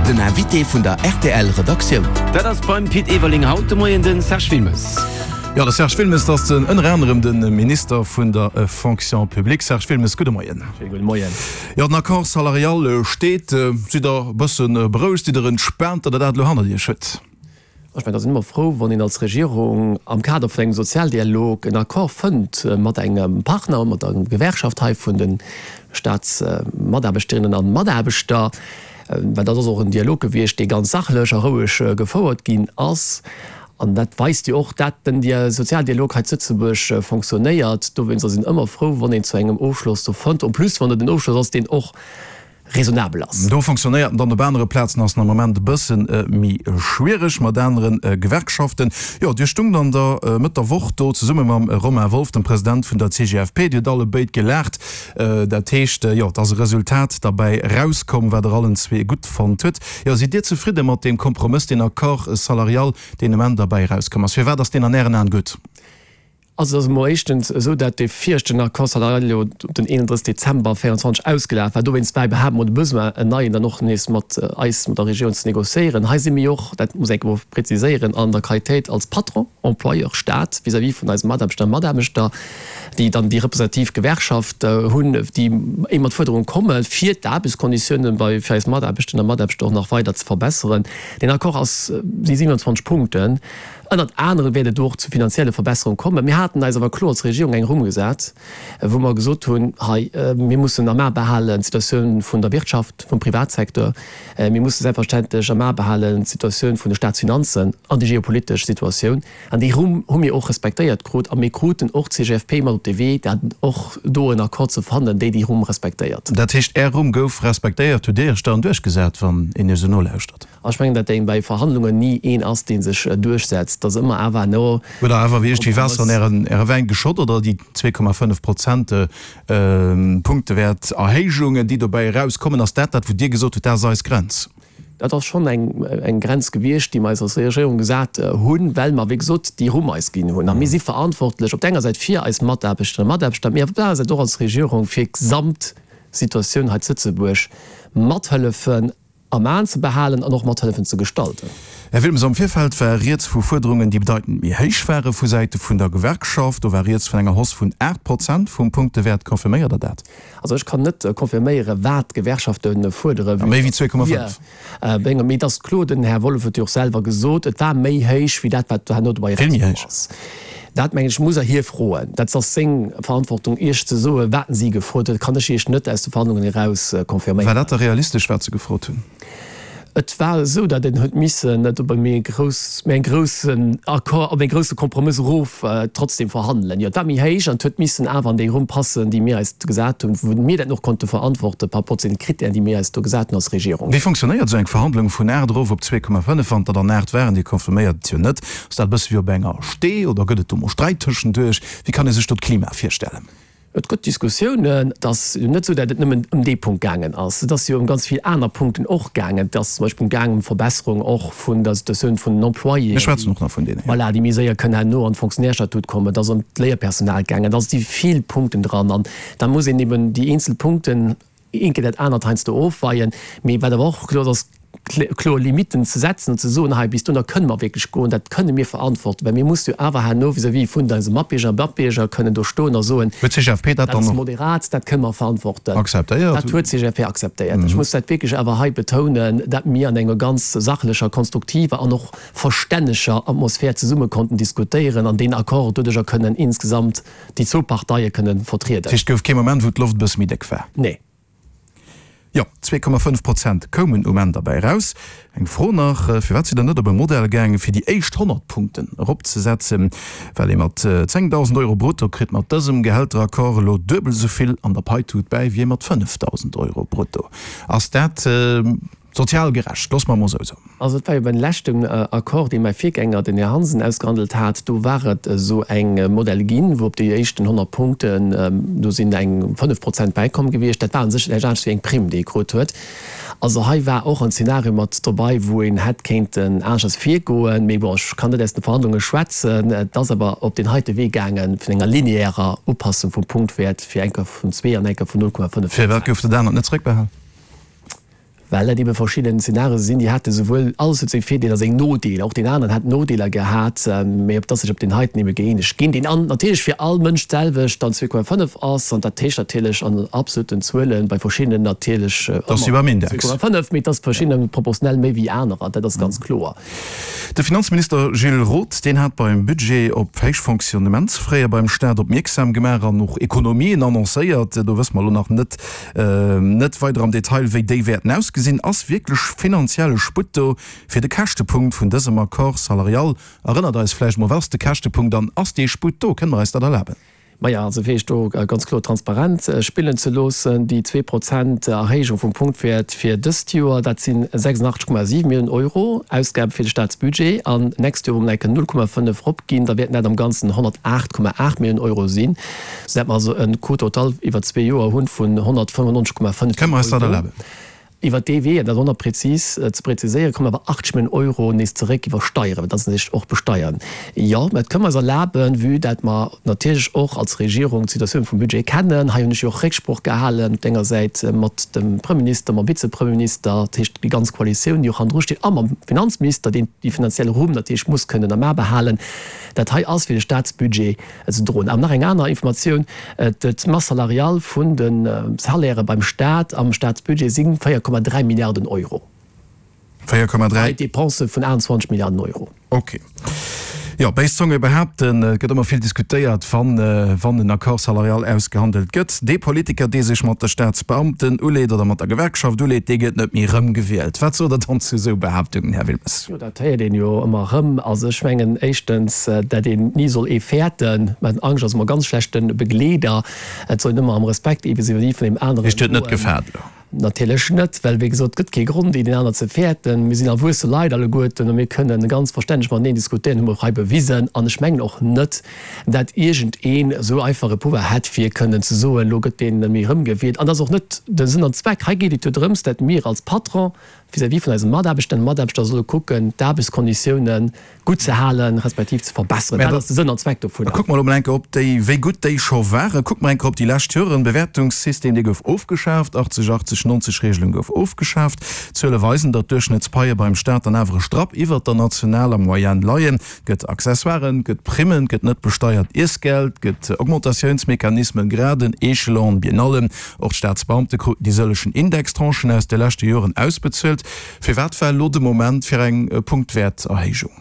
Den Invité vun der rtl Redaktioun. Dat ass beim Pit Everling haut de Moien de Serge Wilmes. Jo, de Serge Wilmes, dat ass den ënner anerem de Minister vun der Fonction publique. Serge Wilmes, gudde Moien. Schéine gudde Moien. Jo, den Accord salarial steet. Sidd Der e bësse berouegt, sidd Der entspaant, datt Der dat elo hannert Iech hutt? Ech mengen, et ass een ëmmer frou, wann een als Regierung am Kader vun engem Sozialdialog en Accord fënnt mat engem Partner, mat der Gewerkschaft hei vun de Staatsmataarbechterinnen a mataarbechter. Well dat ass och en Dialog gewiescht, dee ganz sachlech a roueg gefouert ginn ass. An dat weist jo och, dat den Sozialdialog hei zu Lëtzebuerg fonctionnéiert. Dowéinst ass een ëmmer frou, wann een zu engem Ofschloss do fënnt, en plus wann et en Ofschloss ass, deen och raisonnabel ass. Do fonctionnéiert en dann, op anere Plazen ass en am Moment e bësse méi schwiereg mat anere Gewerkschaften. Jo, Dir stungt an der Mëtt der Woch do zesumme mam Romain Wolff, dem President vun der CGFP. Dir hutt alle béid gelaacht. Dat heescht, jo, et ass e Resultat derbäi erauskomm, wat Der allen zwee gutt fonnt hutt. Jo, sidd Dir zefridde mat deem Kompromëss, deen Accord salarial, deen um Enn derbäi erauskomm ass? Firwat ass deen an Ären Aen gutt? Also et ass emol éischtens esou, dat dee viregten Accord salarial jo den 31 Dezember 24 ausgelaf war. Dowéinst war iwwerhaapt emol de Besoin, en neien dann och nees mat eis, mat der Regierung ze négociéieren. Hei si mir jo och, dat muss een emol preziséieren, an der Qualitéit als Patron, Employeur, Stat vis-à-vis vun eise Mataarbechter a Mataarbechter, déi dann déi representativ Gewerkschaft hunn, déi éi mat Fuerderunge komme fir d'Aarbechtskonditiounen bei fir eis Mataarbechten a Mataarbechter och nach weider ze verbesseren. Deen Accord ass, si 27 Punkten. Ënnert anerem wäert et do och zu finanzielle Verbesserunge kommen. Mir haten eis awer kloer als Regierung eng Rumm gesat, wou mer gesot hunn, hei, mir mussen am A behalen d'Situatioun vun der Wirtschaft, vum Privatsecteur, mir musse selbstverständlech am A behalen d'Situatioun vun de Staatsfinanzen an déi geopolitesch Situatioun. An déi Rumm hu mir och respektéiert krut a mir kruten och d'CGFP mat op de Wee, dat och do en Accord ze fannen, déi déi Rumm respektéiert. Dat heescht, Är Rumm gouf respektéiert, hutt Dir Iech dann duerchgesat, wann een Iech esou nolauschtert? Ech mengen, datt een bei Verhandlungen ni een ass, dee sech duerchsetzt. Et ass ëmmer awer no. Huet Der awer iergendwéi Waasser an Ären, Äre Wäin geschott oder déi 2,5 Prozent Punktewäert Erhéijungen, déi dobäi erauskommen, ass dat dat, wou Dir gesot hutt, dat ass eis Grenz? Dat ass schonn eng, eng Grenz gewiescht, déi mer eis als Regierung gesat hunn, well mer, wéi gesot, déi Rumm eis ginn hunn. A mir si verantwortlech op der enger Säit fir eis Mataarbechterinnen a Mataarbechter, mee op der anerer Säit och als Regierung fir d'Gesamtsituatioun hei zu Lëtzebuerg mathëllefen, am Aen ze behalen an och mat hëllefen ze gestalten. Här Wilmes, am Virfeld war rieds vu Fuerderungen, déi bedeitend méi héich ware vu Säite vun der Gewerkschaft. Do war rieds vun enger Hausse vun 8 Prozent vum Punktewäert. Confirméiert Der dat? Also ech kann net confirméieren, wat d'Gewerkschafte fuerderen. Méi wéi 2,5? Mee et ass kloer, den Här Wolff huet jo och selwer gesot, et war méi héich wéi dat, wat herno dobäi erauskomm ass. Dat, mengen ech, muss Der hie froen. Dat ass seng Verantwortung, Iech ze soen, wat si gefrot huet. Dat kann ech Iech net aus de Verhandlungen eraus confirméieren. War dat da realistesch, wat se gefrot hunn? Et war esou, datt een huet missen et op e méi grouss, méi eng groussen Accord, op ee grousse Kompromëss erof trotzdem verhandelen. Jo, et war méi héich an et huet missen awer an déi Rumm passen, déi mir eis gesat hunn, wou mir dat och konnte verantworten par rapport zu den Kritären, déi mir eis do gesat hunn als Regierung. Wéi fonctionnéiert esou eng Verhandlung vun 8 erof op 2,5, wann der dann 8 waren? Dir confirméiert et jo net. Ass dat e bësse wéi op enger Stee oder gëtt et do mol Sträit tëschenduerch? Wéi kann ee sech do d'Klima virstellen? Et gëtt Diskussiounen. Et ass jo net esou, datt et nëmmen ëm dee Punkt gaangen ass. Et ass jo ëm ganz vill aner Punkten och gaangen. Et ass zum Beispill gaangen ëm d'Verbesserung och vun der Situatioun vun den Employéen, Mir schwätzen och nach vun deene, jo. Voilà, déi méi séier kënnen herno an d'Fonctionnaires-Statut kommen. Et ass ëm d'Léierpersonal gaangen. Et ass si vill Punkten dran. An da muss een eben déi eenzel Punkten Eent géint dat anert heiansdo ofweien, mee wat awer och kloer ass, ass kloer Limitten ze setzen an ze soen, hei bis dohinner kënne mer wierklech goen, dat kënne mir verantworten, well mir musse jo awer herno vis-à-vis vun eise Matbierger a Matbierger kënnen do stoen a soen, Huet d'CGFP dat dat dann ass och moderat, dat kënne mer verantworten. akzeptéiert? Dat huet d'CGFP akzeptéiert. Ech muss dat wierklech awer hei betounen, dat mir an enger ganz sachlecher, konstruktiver an och verstänneger Atmosphär zesumme konnten diskutéieren an deen Accord doduercher kënnen insgesamt déi zwou Parteie kënne vertrieden. Dat heescht, et gouf kee Moment, wou d'Loft e bësse méi déck war? Nee. Jo, 2,5 Prozent koumen um Enn derbäi eraus. Eng Fro nach, Firwat sidd Der net op e Modell gaangen, fir déi éischt 100 Punkten eropzesetzen? Well ee mat 10.000 Euro brutto kritt mat dësem Gehälteraccord elo duebel esou vill an der Paitut bäi wéi ee mat 5.000 Euro brutto. Ass dat Sozial gerecht, loosse mer emol esou soen. Also et war jo beim leschten Accord, dee mäi Virgänger, den Här Hansen, ausgehandelt hat, do war et esou eng Modell ginn, wou op déi éischten 100 Punkten, do sinn eng 5 Prozent bäikomm gewiescht. Dat war u sech näischt anescht wéi eng Primm, déi ee krut huet. Also hei war och en Zeenario mat dobei, wou een hätt kéinten aneschters virgoen. Mee bon, ech kann net aus de Verhandlunge schwätzen. Et ass awer op deen heite Wee gaange vun enger lineärer Upassung vum Punktwäert fir eng Kéier vun zwee an eng Kéier vun 0,5 Firwat Prozent. gouf dat anert net zréckbehal? Well dat ebe verschidden Szenarioe sinn, déi hate souwuel, alles huet seng Virdeeler, seng Nodeeler, och deen aneren hat Nodeeler gehat, mee op dass sech op deen heiten ebe gëeenegt ginn, deen an natierlech fir all Mënsch d'selwecht dann 2,5 ass, an dat heescht natierlech an absoluten Zuelen bei verschiddenen natierlech ëmmer 2,5, mee et ass verschiddenen proportionell méi wéi anerer, dat ass ganz kloer. De Finanzminister Gilles Roth, deen hat beim Budget op héich Fonctionnementsfraie beim Staat opmierksam gemaach an och Ekonomien annoncéiert. Do wësse mer elo nach net net weider am Detail, wéi déi wäerten ausgesinn. Ass wierklech finanzielle Sputt do fir de Käschtepunkt vun dësem Accord salarial? Erënnert eis vläicht mol, wat ass de Käschtepunkt an ass dee Sputt do? Kënne mer eis dat erlaben? Maja, also fir Iech do ganz kloer transparent spillen ze loossen, déi 2% Erhéijung vum Punktwäert fir dëst Joer, dat si 86,7 Milliounen Euro Ausgabe fir de Staatsbudget. An d'nächst Joer, wou mer enke 0,5 eropginn, da wäerten dat am Ganzen 108,8 Milliounen Euro sinn, soudatt mer also e Coût total iwwer zwee Joer hu vun 195,5 Milliounen Euro. Iwwer dee Wee, an dat och nach prezis ze preziséieren, kommen awer 80 Milliounen Euro nees zeréck iwwer Steieren, well dat ass natierlech och besteiern. Jo, mä dat kënnen mer eis erlaben, vue dat mer natierlech och als Regierung d'Situatioun vum Budget kennen. Hei hunn ech jo och Récksproch gehalen op denger Säit mat dem Premierminister, mam Vizepremierminister, dat heescht déi ganz Koalitioun, déi och hannendru steet, a mam Finanzminister, deen déi finanziell Rumm natierlech muss kënnen am A behalen. Dat hei ass fir de Statsbudget ze droen. An nach eng aner Informatioun, D'Masse salariale vun de Salairë beim Stat am Statsbudget si 4,3 Milliarden Euro. 4,3. Bei Depensë vun 28 Milliarden Euro. Ok. Jo, béis Zonge behaapten, et gëtt ëmmer vill diskutéiert, wann, wann en Accord salarial ausgehandelt gëtt. Dee Politiker, dee sech mat de Staatsbeamten uleet oder mat der Gewerkschaft uleet, dee gëtt net méi erëmgewielt. Wat sot Der dann zu esou Behaaptungen, Här Wilmes? Jo, dat héiert een jo ëmmer erëm. Also ech mengen éischtens, dat een ni soll ee fäerten. Mä Angscht ass ëmmer e ganz schlechte Begleeder. Et soll een ëmmer am Respekt ee vis-à-vis vun deem aneren Heescht, Dir hutt net gefaart elo? Natierlech net, well wéi gesot, et gëtt kee Grond, een deen aner ze fäerten. Mir sinn erwuesse Leit alleguerten a mir kënnen ganz verstänneg mateneen diskutéieren, hu mer och hei bewisen. An ech mengen och net, dat iergendeen esou einfach e Pouvoir hätt, fir kënnen ze soen, elo gëtt deen net méi erëmgewielt. An dat ass och net de Sënn an Zweck. Hei geet et jo drëms, dat mir als Patron vis-à-vis vun eise Mataarbechterinnen a Mataarbechter solle kucken, d'Aarbechtskonditiounen gutt ze halen, respektiv ze verbesseren. Dat ass de Sënn an Zweck dovunner. Kucke mer elo mol eng Kéier op déi, wéi gutt déi scho waren. Kucke mer eng Kéier op déi lescht Joren. Bewäertungssystem, dee gouf ofgeschaaft, 80, 80, 90 Regelung gouf ofgeschaaft. D'Zuele weisen, datt d'Duerchschnëttspaie beim Staat dann awer e Strapp iwwert der nationaler Moyenne leien. Et gëtt Accessoiren, et gëtt Primmen, et gëtt net besteiert Iessgeld, et gëtt Augmentatiounsmechanismen, Graden, Echelon, Biennallen. Och d'Staatsbeamte kruten déi sëllegen Indextranchen aus de leschte Joren ausbezuelt. Firwat war elo de Moment fir eng Punktwäerterhéijung?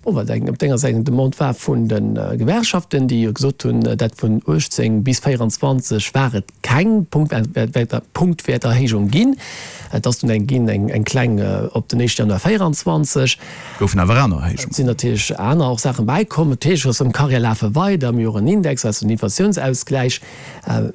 Bon, well eng op denger Säit eng Demande war vun de Gewerkschaften, déi jo gesot hunn, dat vun 18 bis 24 war et keng Punktwäerterhéijung ginn. Et ass dunn eng ginn, eng kleng op den éischte Januar 24. Goufen awer aner Erhéijungen. Et sinn natierlech aner och Saachen bäikomm. Natierlech ass d'Carrière lafe weider, mir hu och en Index, also en Inflatiounsausgläich.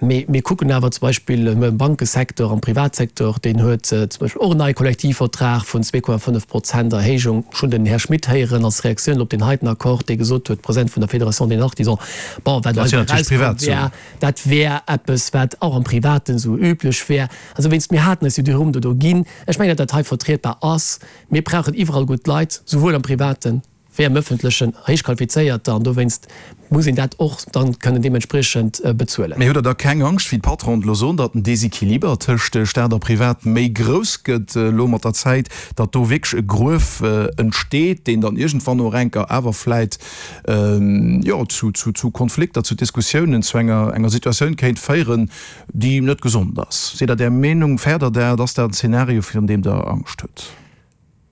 Mee mir kucken awer zum Beispill am Bankesecteur, am Privatsecteur, deen huet zum Beispill och en neie Kollektivvertrag vun 2,5 Prozent Erhéijung. Ech hunn den Här Schmit héieren als Reaktioun op deen heiten Accord, dee gesot huet, President vun der Fédération des Artisans, bon, wat hei erauskomm wär, dat wär eppes, wat och am Privaten esou üblech wär. Also wéinst, mir haten eis jo déi Rumm do do ginn. Ech mengen, datt dat hei vertrietbar ass. Mir brauchen iwwerall gutt Leit, souwuel am Privaten wéi am Ëffentlechen, héich qualifizéierter, an dowéinst muss een dat och dann kënnen deementspriechend bezuelen. Mee hutt Der da keng Angscht, wéi d'Patronen elo soen, datt den Desequiliber tëscht Staat a Privat méi grouss gëtt elo mat der Zäit, datt do wierklech e Gruef entsteet, deen dann iergendwann och enker awer vläit, jo, zu Konflikter, zu Diskussiounen, zu enger Situatioun kéint féieren, déi net gesond ass? Sidd Der där Meenung? Fäert Der dat? Ass dat en Zeenario, virun deem Der Angscht hutt?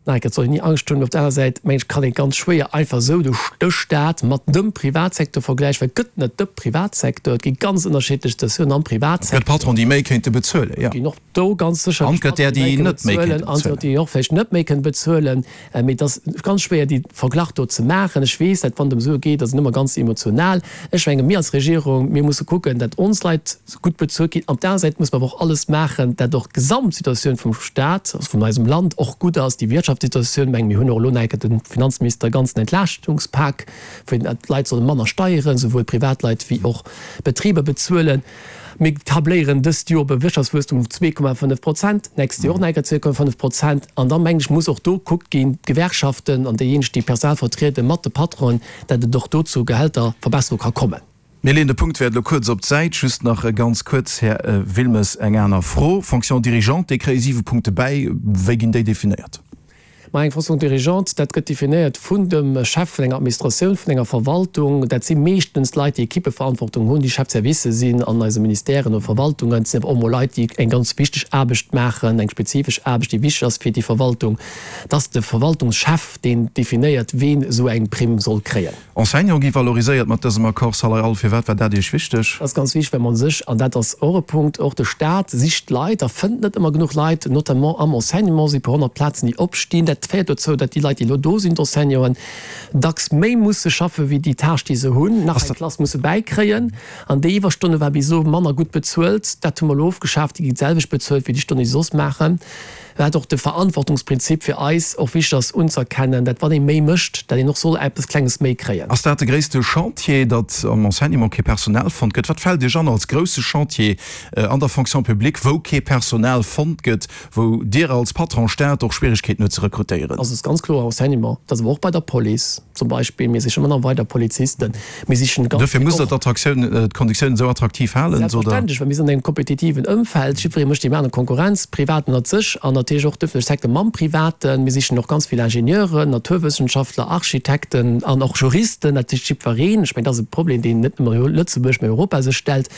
Nein, et soll een ni Angscht hunn. Op der aner Säit, mengen ech, kann ee ganz schwéier einfach esou de Staat mat dem Privatsecteur vergläichen, well et gëtt net de Privatsecteur. Et gi ganz ënnerschiddlech Situatiounen am Privatsecteur. Et gëtt Patronen, déi méi kéinte bezuelen, jo. Et ginn och do ganz sécherlech An et gëtt där, déi net méi kéinte bezuelen. An et gëtt déi och vläicht net méi kënnen bezuelen. Mee et ass ganz schwéier, déi Verglach do ze maachen. Ech weess, dat wann et ëm Sue geet, ass een ëmmer ganz emotional. Ech menge mir als Regierung, mir musse kucken, dat ons Leit gutt bezuelt ginn. Op der aner Säit muss mer awer och alles maachen, dat och d'Gesamtsituatioun vum Stat, also vun eisem Land och gutt ass, déi Wirtschaftssituatioun. Menge mir hunn och elo nach eng Kéier dem Finanzminister e ganzen Entlaaschtungspak, wou d'Leit solle manner Steieren, souwuel Privatleit wéi och Betriber bezuelen. Mir tabléieren dëst Joer op e Wirtschaftswuesstum vun 2,5 Prozent, d'nächst Joer och nach eng Kéier 2,5 Prozent. An da mengen ech, muss och do gekuckt ginn, d'Gewerkschaften an déijéineg, déi d'Personal vertrieden, mat de Patronen, dat et och do zu Gehälterverbesserung ka kommen. Mir leeën de Punktwäert elo kuerz op d'Säit. Just nach ganz kuerz, Här Wilmes, eng aner Fro. Fonction dirigeante, déi kréie siwe Punkte bäi. Wéi ginn déi definéiert? Ma eng Fonction dirigeante, dat gëtt definéiert vun dem Chef vun enger Administratioun, vun enger Verwaltung. Dat si meeschtens Leit, déi Equippeverantwortung hunn, déi Chef de service sinn an eise Ministèren oder Verwaltungen. Et sinn awer och mol Leit, déi eng ganz wichteg Aarbecht maachen, eng spezifesch Aarbecht, déi wichteg ass fir déi Verwaltung. Et ass de Verwaltungschef, deen definéiert, ween esou eng Primm soll kréien. Enseignant gi valoriséiert mat dësem Accord salarial. Firwat war dat Iech wichteg? Dat ass ganz wichteg, well mer sech, an dat ass och e Punkt, och de Stat sicht Leit a fënnt net ëmmer genuch Leit, notamment am Enseignement si puer 100 Plazen, déi opstinn. Dat féiert dozou, datt déi Leit, déi elo do sinn, d'Enseignanten, dacks méi musse schaffe wéi déi Tâche, déi se hunn, nach eng Klass musse bäikréien. An déi Iwwerstonne war bis elo manner gutt bezuelt. Dat hu mer elo ofgeschaaft. Déi ginn d'selwecht bezuelt wéi déi Stonnen, déi se soss maachen. Wat och de Verantwortungsprinzip fir eis och wichteg ass unzëerkennen, dat wann ee méi mécht, dat een och soll eppes Klenges méi kréien. Ass dat de gréisste Chantier, datt am Enseignement kee Personal fonnt gëtt? Wat fält Iech an als grousse Chantier an der Fonction publique, wou kee Personal fonnt gëtt, wou Dir als Patron Staat och Schwieregkeeten hutt ze rekrutéieren? Also et ass ganz kloer Enseignement, et ass awer och bei der Police zum Beispill. Mir sichen ëmmer nach weider Polizisten. Mir sichen ganz Dofir musst Der d'Attraktioun, d'Konditiounen esou attraktiv halen, sot Der. Selbstverständlech, well mir sinn an engem kompetitiven Ëmfeld. Jiddweree mécht deem anere Konkurrenz, Privat ënnert sech an natierlech och d'ëffentlech Secteur mam Privaten. Mir sichen och ganz vill Ingenieuren, Naturwëssenschaftler, Architekten an och Juristen. Dat sicht jiddwereen. Ech mengen, dat ass e Problem, deen net nëmme Lëtzebuerg, mä Europa sech stellt.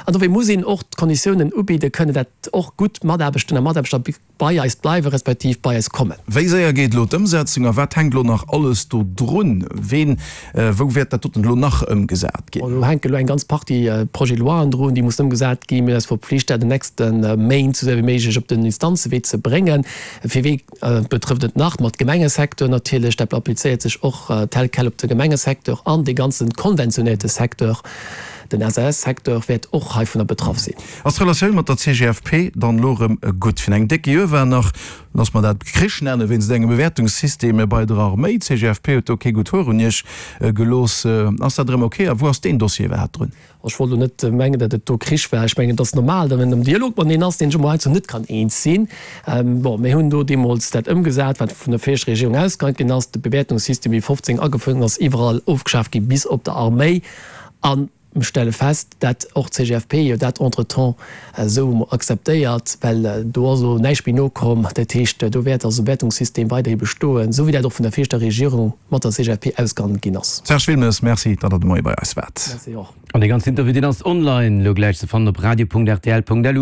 An dofir muss een och d'Konditiounen ubidde kënnen, dat och gutt Mataarbechten a Mataarbechter bei eis bleiwen, respektiv bei eis kommen. Wéi séier geet elo d'Ëmsetzung a wat hänkt elo nach alles do drun? Ween, wou wäert dat doten elo nach ëmgesat ginn? Do hänke elo eng ganz Partie Projet-de-loien drun, déi mussen ëmgesat ginn. Mir hunn eis verpflicht, dat an den nächste Méint esou séier wéi méiglech op den Instanzewee ze bréngen. Fir wee betrëfft et nach? Ma d'Gemengesecteur natierlech. Dat applizéiert sech och tel quel op de Gemengesecteur an dee ganze konventionéierte Secteur. Den SAS-Secteur wäert och heivunner betraff sinn. Ass d'Relatioun mat der CGFP dann elo erëm gutt? Virun engem décke Joer war nach, loosse mer dat Krich nennen, wéinst engem Bewäertungssystem bei der Arméi. D'CGFP huet do kee gutt Hoer un Iech gelooss. Ass dat erëm ok a wou ass deen Dossier iwwerhaapt drun? Ech wollt elo net mengen, datt et do Krich war. Ech mengen, et ass normal, datt een am Dialog mateneen ass, deen sech emol heiansdo net kann eens sinn. Bon, mir hunn do deemools dat ëmgesat, wat vun der viregter Regierung ausgehandelt ginn ass. De Bewäertungssystem, wéi 15 agefouert ginn ass, iwwerall ofgeschaaft gi bis op der Arméi. An mir stelle fest, dat och d'CGFP jo dat entretemps esou akzeptéiert, well do ass elo näischt méi nokomm. Dat heescht, do wäert also de Wäertungssystem weiderhi bestoen, esou wéi dat och vun der viregter Regierung mat der CGFP ausgehandelt ginn ass. Serge Wilmes, Merci, datt Der de Moie bei eis waart. Merci och. An dee ganzen Interview, deen ass online elo gläich ze fannen op radio.rtl.lu.